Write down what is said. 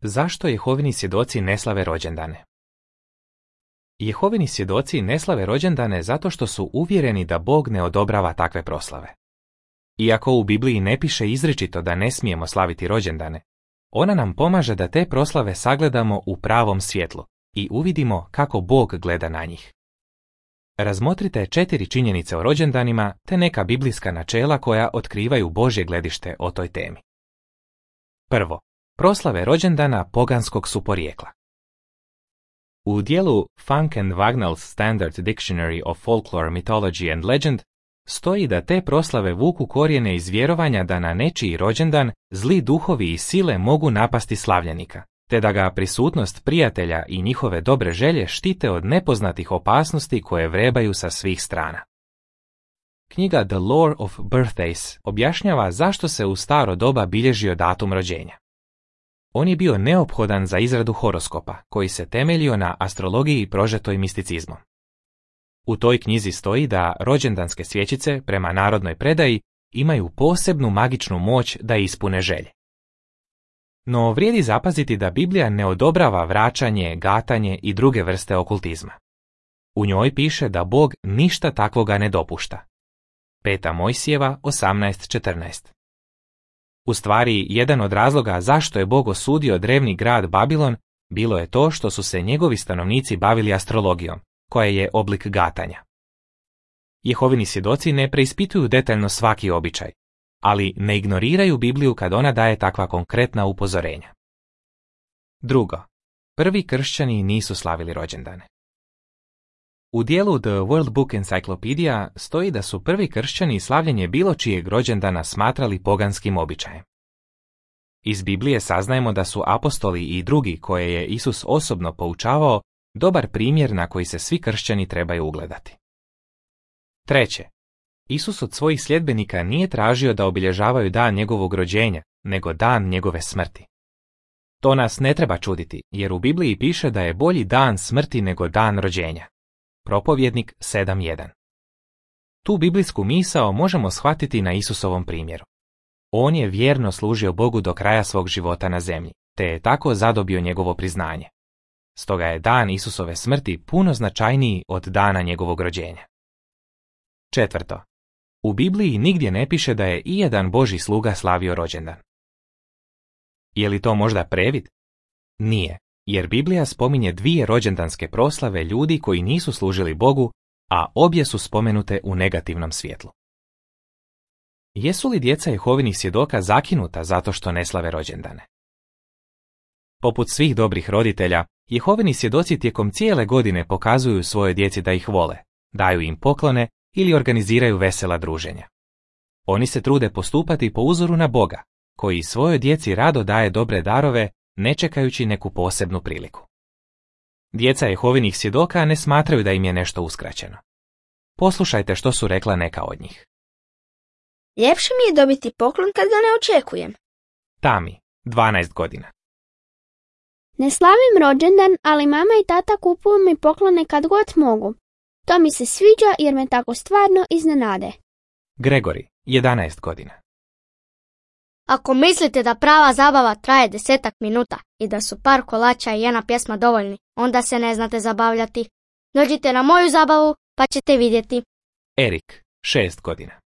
Zašto Jehovini svjedoci ne slave rođendane? Jehovini svjedoci ne slave rođendane zato što su uvjereni da Bog ne odobrava takve proslave. Iako u Bibliji ne piše izričito da ne smijemo slaviti rođendane, ona nam pomaže da te proslave sagledamo u pravom svjetlu i uvidimo kako Bog gleda na njih. Razmotrite 4 činjenice o rođendanima te neka biblijska načela koja otkrivaju Božje gledište o toj temi. Prvo, proslave rođendana poganskog su porijekla. U dijelu Funk and Wagnall's Standard Dictionary of Folklore, Mythology and Legend stoji da te proslave vuku korijene iz vjerovanja da na nečiji rođendan zli duhovi i sile mogu napasti slavljenika, te da ga prisutnost prijatelja i njihove dobre želje štite od nepoznatih opasnosti koje vrebaju sa svih strana. Knjiga The Lore of Birthdays objašnjava zašto se u staro doba bilježio datum rođenja. On je bio neophodan za izradu horoskopa, koji se temeljio na astrologiji prožetoj misticizmom. U toj knjizi stoji da rođendanske svjećice, prema narodnoj predaji, imaju posebnu magičnu moć da ispune želje. No vrijedi zapaziti da Biblija ne odobrava vraćanje, gatanje i druge vrste okultizma. U njoj piše da Bog ništa takvoga ne dopušta. 5. Mojsijeva 18:14. U stvari, jedan od razloga zašto je Bog osudio drevni grad Babilon bilo je to što su se njegovi stanovnici bavili astrologijom, koja je oblik gatanja. Jehovini svjedoci ne preispituju detaljno svaki običaj, ali ne ignoriraju Bibliju kad ona daje takva konkretna upozorenja. Drugo, prvi kršćani nisu slavili rođendane. U dijelu The World Book Encyclopedia stoji da su prvi kršćani slavljenje bilo čijeg rođendana smatrali poganskim običajem. Iz Biblije saznajemo da su apostoli i drugi koje je Isus osobno poučavao dobar primjer na koji se svi kršćani trebaju ugledati. Treće, Isus od svojih sljedbenika nije tražio da obilježavaju dan njegovog rođenja, nego dan njegove smrti. To nas ne treba čuditi, jer u Bibliji piše da je bolji dan smrti nego dan rođenja. Propovjednik 7.1. Tu biblijsku misao možemo shvatiti na Isusovom primjeru. On je vjerno služio Bogu do kraja svog života na zemlji, te je tako zadobio njegovo priznanje. Stoga je dan Isusove smrti puno značajniji od dana njegovog rođenja. Četvrto, u Bibliji nigdje ne piše da je ijedan Božji sluga slavio rođendan. Je li to možda previd? Nije, jer Biblija spominje 2 rođendanske proslave ljudi koji nisu služili Bogu, a obje su spomenute u negativnom svjetlu. Jesu li djeca Jehovinih svjedoka zakinuta zato što ne slave rođendane? Poput svih dobrih roditelja, Jehovini svjedoci tijekom cijele godine pokazuju svojoj djeci da ih vole, daju im poklone ili organiziraju vesela druženja. Oni se trude postupati po uzoru na Boga, koji svojoj djeci rado daje dobre darove, ne čekajući neku posebnu priliku. Djeca Jehovinih svjedoka ne smatraju da im je nešto uskraćeno. Poslušajte što su rekla neka od njih. Ljepše mi je dobiti poklon kad ga ne očekujem. Tami, 12 godina. Ne slavim rođendan, ali mama i tata kupuju mi poklone kad god mogu. To mi se sviđa jer me tako stvarno iznenade. Gregori, 11 godina. Ako mislite da prava zabava traje 10 minuta i da su par kolača i jedna pjesma dovoljni, onda se ne znate zabavljati. Dođite na moju zabavu pa ćete vidjeti. Erik, 6 godina.